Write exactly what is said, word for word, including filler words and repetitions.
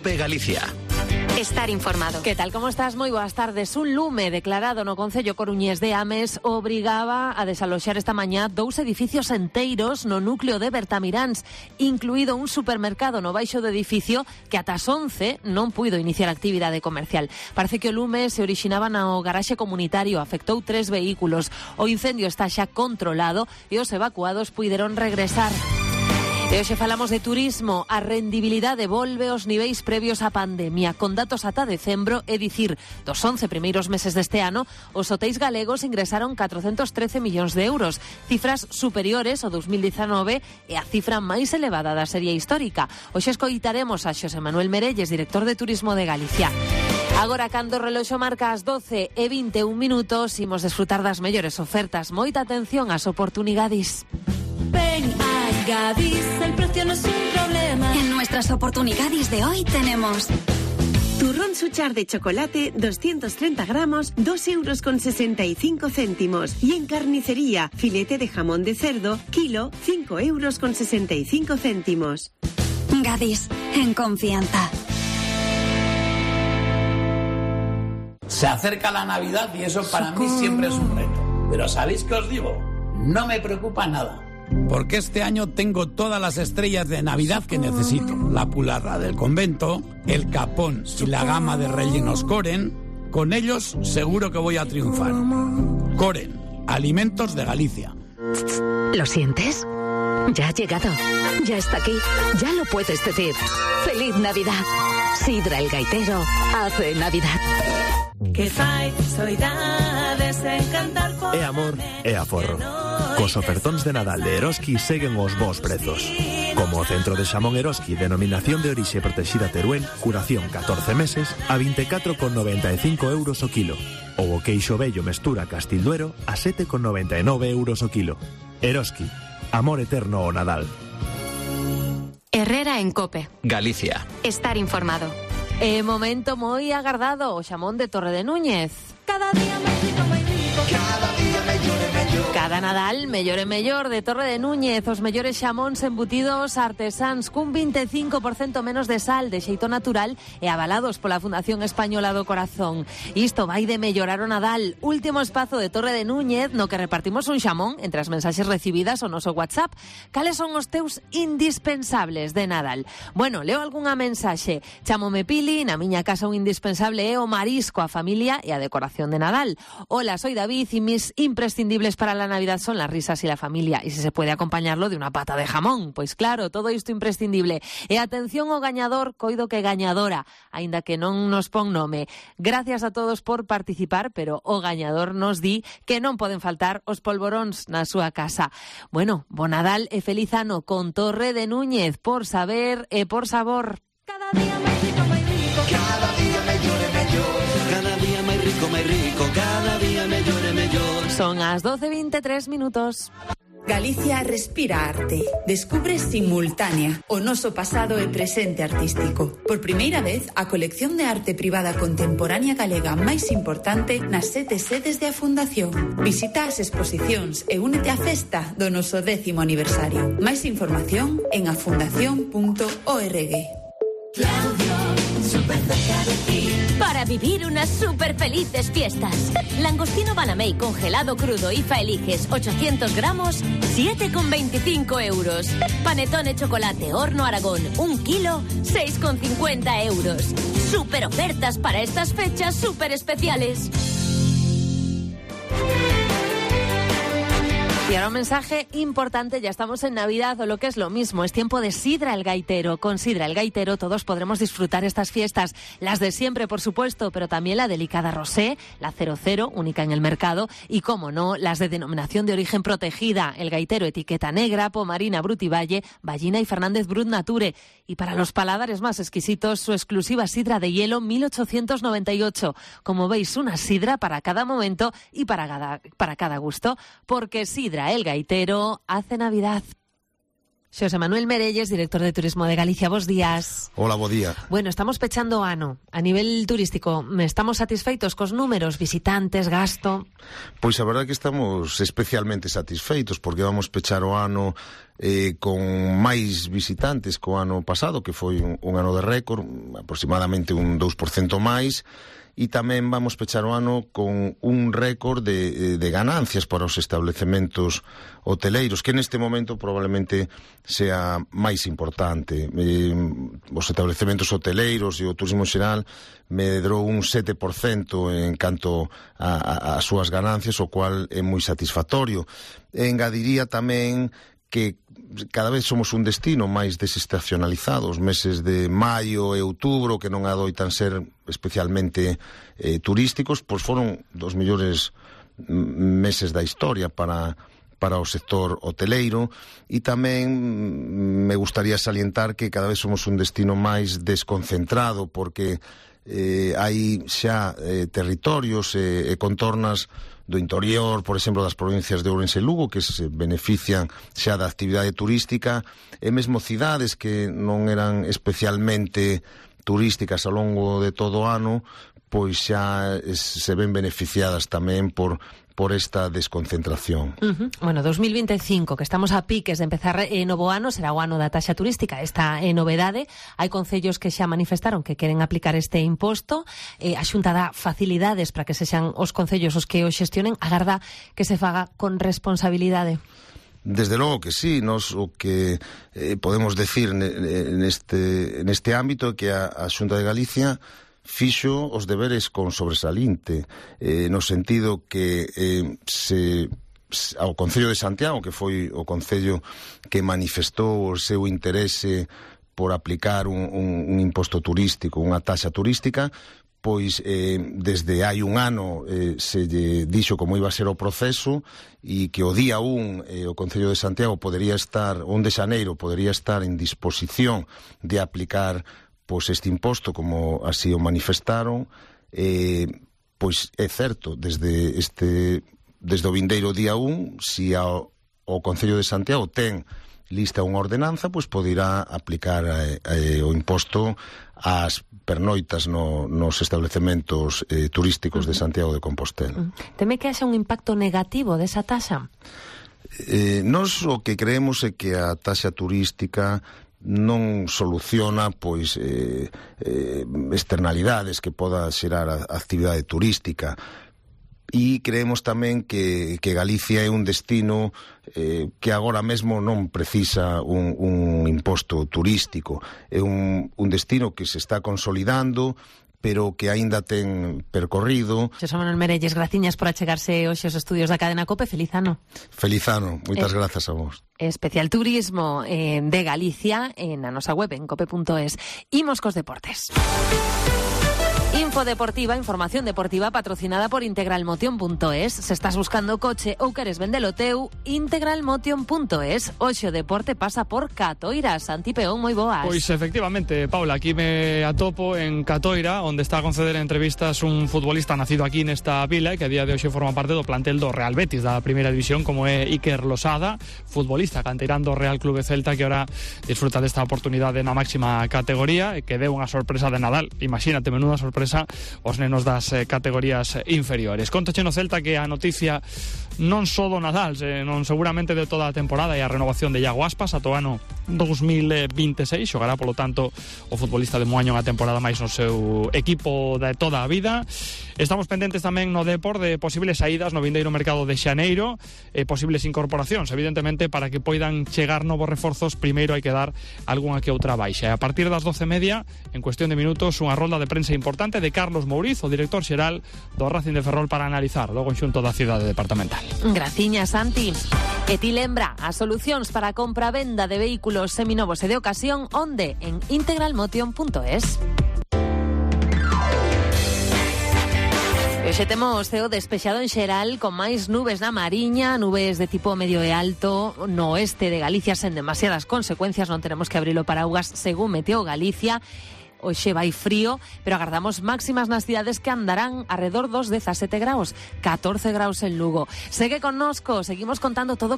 COPE Galicia. Estar informado. Que tal, como estás? Moi boas tardes. Un lume declarado no Concello coruñés de Ames obrigaba a desaloxar esta mañá dous edificios enteiros no núcleo de Bertamiráns, incluído un supermercado no baixo do edificio que ata as once non puido iniciar actividade comercial. Parece que o lume se orixinaba no garaxe comunitario, afectou tres vehículos. O incendio está xa controlado e os evacuados puideron regresar. E hoxe falamos de turismo. A rendibilidade volve aos niveis previos á pandemia. Con datos ata decembro, é dicir, dos once primeiros meses deste ano, os hotéis galegos ingresaron catrocentos trece millóns de euros, cifras superiores ao dos mil dezanove e a cifra máis elevada da serie histórica. Hoxe escoitaremos a Xosé Manuel Merelles, director de Turismo de Galicia. Agora, cando o reloxo marca as doce e vinte e un minutos, imos desfrutar das mellores ofertas. Moita atención ás oportunidades. Ven a Gadis, el precio no es un problema. En nuestras oportunidades de hoy tenemos turrón Suchar de chocolate, doscientos treinta gramos, dos euros con sesenta y cinco céntimos. Y en carnicería, filete de jamón de cerdo, kilo, cinco euros con sesenta y cinco céntimos. Gadis, en confianza. Se acerca la Navidad y eso para mí siempre es un reto. Pero ¿sabéis qué os digo? No me preocupa nada. Porque este año tengo todas las estrellas de Navidad que necesito. La pularra del convento, el capón y la gama de rellenos Coren. Con ellos seguro que voy a triunfar. Coren, alimentos de Galicia. ¿Lo sientes? Ya ha llegado. Ya está aquí. Ya lo puedes decir. ¡Feliz Navidad! Sidra el Gaitero hace Navidad. Que fai soidades encantar por... É amor, é aforro. Cos ofertóns de Nadal de Eroski seguen os bons prezos. Como o centro de xamón Eroski, denominación de orixe protexida Teruel, curación catorce meses, a vinte e catro con noventa e cinco euros o kilo. Ou o queixo bello mestura Castilduero a sete con noventa e nove euros o kilo. Eroski, amor eterno ao Nadal. Herrera en COPE Galicia. Estar informado. E momento moi agardado, o xamón de Torre de Núñez. Cada día máis rico, máis rico. Cada día mellor e mellor. Cada Nadal, mellor e mellor de Torre de Núñez. Os mellores xamóns embutidos artesáns cun vinte e cinco por cento menos de sal, de xeito natural e avalados pola Fundación Española do Corazón. Isto vai de mellorar o Nadal. Último espazo de Torre de Núñez no que repartimos un xamón entre as mensaxes recibidas ao noso WhatsApp. Cales son os teus indispensables de Nadal? Bueno, leo algunha mensaxe. Chámome Pili, na miña casa un indispensable é o marisco, a familia e a decoración de Nadal. Hola, soy David y mis imprescindibles para la Navidad son las risas y la familia, y si se puede acompañarlo de una pata de jamón. Pois claro, todo isto imprescindible. E atención ao gañador, coido que gañadora, aínda que non nos pon nome. Gracias a todos por participar, pero o gañador nos di que non poden faltar os polvoróns na súa casa. Bueno, bo Nadal e feliz ano con Torre de Núñez, por saber e por sabor. Cada día máis rico, máis rico. Cada día mellor e mellor. Cada día máis rico, máis rico. Cada día mellor e mellor. Son as doce e vinte e tres minutos. Galicia respira arte. Descubre Simultánea, o noso pasado e presente artístico. Por primeira vez, a colección de arte privada contemporánea galega máis importante nas sete sedes de a Fundación. Visita as exposicións e únete á festa do noso décimo aniversario. Máis información en afundación punto org. Claudio, súper cerca de ti. Para vivir unas súper felices fiestas. Langostino Banamey congelado crudo I F A eliges ochocientos gramos, siete con veinticinco euros. Panetone chocolate horno Aragón, un kilo, seis con cincuenta euros. Súper ofertas para estas fechas súper especiales. Y ahora un mensaje importante, ya estamos en Navidad o lo que es lo mismo, es tiempo de Sidra el Gaitero. Con Sidra el Gaitero todos podremos disfrutar estas fiestas, las de siempre por supuesto, pero también la delicada rosé, la cero cero, única en el mercado, y como no, las de denominación de origen protegida, el Gaitero etiqueta negra, Pomarina Brut y Valle, Ballina y Fernández Brut Nature. Y para los paladares más exquisitos, su exclusiva sidra de hielo mil ochocientos noventa y ocho. Como veis, una sidra para cada momento y para cada, para cada gusto, porque Sidra el Gaitero hace Navidad. Xosé Manuel Merelles, director de Turismo de Galicia. Bos días. Hola, bo día. Bueno, estamos pechando o ano. A nivel turístico, estamos satisfeitos cos números, visitantes, gasto? Pois a verdade é que estamos especialmente satisfeitos porque vamos pechar o ano eh, con máis visitantes que o ano pasado, que foi un, un ano de récord, aproximadamente un dous por cento máis. E tamén vamos pechar o ano con un récord de, de ganancias para os establecementos hoteleiros, que neste momento probablemente sea máis importante. Eh, os establecementos hoteleiros e o turismo xeral medrou un sete por cento en canto a, a, a súas ganancias, o cual é moi satisfactorio. E engadiría tamén que cada vez somos un destino máis desestacionalizado. Os meses de maio e outubro, que non adoitan ser especialmente eh, turísticos, pois foron dos mellores meses da historia para, para o sector hoteleiro. E tamén me gustaría salientar que cada vez somos un destino máis desconcentrado, porque eh, hai xa eh, territorios e eh, contornas do interior, por exemplo, das provincias de Ourense e Lugo, que se benefician xa da actividade turística, e mesmo cidades que non eran especialmente turísticas ao longo de todo o ano, pois xa se ven beneficiadas tamén por por esta desconcentración. Uh-huh. Bueno, dos mil veinticinco, que estamos a piques de empezar eh, novo ano, será o ano da taxa turística. Esta é eh, novedade. Hai concellos que xa manifestaron que queren aplicar este imposto. Eh, a Xunta dá facilidades para que sexan os concellos os que o xestionen. Agarda que se faga con responsabilidade. Desde logo que sí. Nos o que eh, podemos decir neste, neste ámbito é que a, a Xunta de Galicia fixo os deberes con sobresalinte, eh, no sentido que eh, se ao Concello de Santiago, que foi o concello que manifestou o seu interese por aplicar un, un, un imposto turístico, unha taxa turística, pois eh, desde hai un ano eh, se lle dixo como iba a ser o proceso, e que o día un eh, o Concello de Santiago podería estar, un de xaneiro podería estar en disposición de aplicar pois este imposto, como así o manifestaron. Eh, pois é certo, desde este desde o vindeiro día un, si ao, o Concello de Santiago ten lista unha ordenanza, pois poderá aplicar eh, eh, o imposto ás pernoitas no, nos establecementos eh, turísticos de Santiago de Compostela. Teme que haxa un impacto negativo desa taxa? Eh, nos o que creemos é que a taxa turística non soluciona pois eh, eh, externalidades que poda xerar a, a actividade turística, e creemos tamén que, que Galicia é un destino eh, que agora mesmo non precisa un, un imposto turístico. É un, un destino que se está consolidando, pero que aínda ten percorrido. Xosé Manuel Merelles, graciñas por achegarse hoxe aos estudios da cadena COPE. Feliz ano. Feliz ano, moitas eh, grazas a vos. Especial Turismo eh, de Galicia en a nosa web en cope punto es. Imos cos deportes. Info deportiva, información deportiva patrocinada por integralmotion punto es. Se estás buscando coche ou queres vendelo teu, integralmotion punto es. Hoxe o deporte pasa por Catoira. Santi Peón, moi boas. Pois efectivamente, Paula, aquí me atopo en Catoira, onde está a conceder entrevistas un futbolista nacido aquí nesta vila, que a día de hoxe forma parte do plantel do Real Betis da primeira división, como é Iker Losada, futbolista canteirán do Real Clube Celta, que ahora disfruta desta oportunidade na máxima categoría, e que deu unha sorpresa de Nadal. Imagínate, menuda sorpresa os nenos das eh, categorías inferiores. Contache no Celta que a noticia non só do Nadal, eh, non seguramente de toda a temporada, e a renovación de Iago Aspas ata o ano dos mil veintiséis. Xogará, polo tanto, o futbolista de Moaño unha temporada máis no seu equipo de toda a vida. Estamos pendentes tamén no Depor de posibles saídas no vindeiro mercado de xaneiro, e posibles incorporacións. Evidentemente, para que poidan chegar novos reforzos, primeiro hai que dar algunha que outra baixa. E a partir das doce e media, en cuestión de minutos, unha rolda de prensa importante de Carlos Mouriz, o director xeral do Racing de Ferrol, para analizar o conxunto da cidade departamental. Graciña, Santi. E ti lembra as solucións para a compra-venda de vehículos seminovos e de ocasión, onde? En integralmotion punto es. Hoxe temos ceo despexado en xeral, con máis nubes na Mariña, nubes de tipo medio e alto no oeste de Galicia, sen demasiadas consecuencias. Non tenemos que abrir o paraugas según Meteo Galicia. Hoxe vai frío, pero agardamos máximas nas cidades que andarán arredor dos dezasete graus, catorce graus en Lugo. Segue connosco, seguimos contando todo